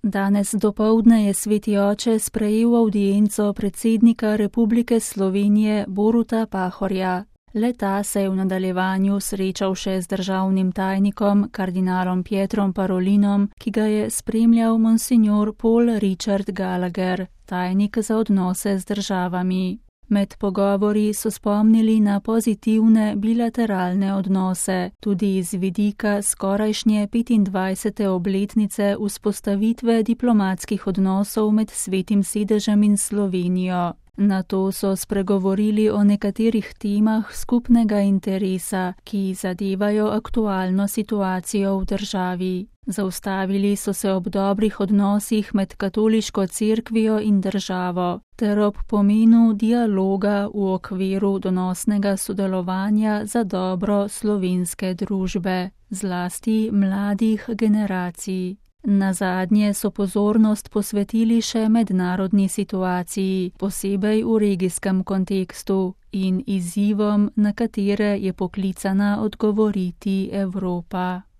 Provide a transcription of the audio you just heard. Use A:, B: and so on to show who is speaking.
A: Danes dopoldne je Sveti oče sprejel avdienco predsednika Republike Slovenije Boruta Pahorja. Le-ta se je v nadaljevanju srečal še z državnim tajnikom, kardinalom Pietrom Parolinom, ki ga je spremljal monsignor Paul Richard Gallagher, tajnik za odnose z državami. Med pogovori so spomnili na pozitivne bilateralne odnose, tudi iz vidika skorajšnje 25. obletnice vzpostavitve diplomatskih odnosov med Svetim sedežem in Slovenijo. Nato so spregovorili o nekaterih temah skupnega interesa, ki zadevajo aktualno situacijo v državi. Zaustavili so se ob dobrih odnosih med katoliško cerkvijo in državo, ter ob pomenu dialoga v okviru donosnega sodelovanja za dobro slovenske družbe, zlasti mladih generacij. Nazadnje so pozornost posvetili še mednarodni situaciji, posebej v regijskem kontekstu in izzivom, na katere je poklicana odgovoriti Evropa.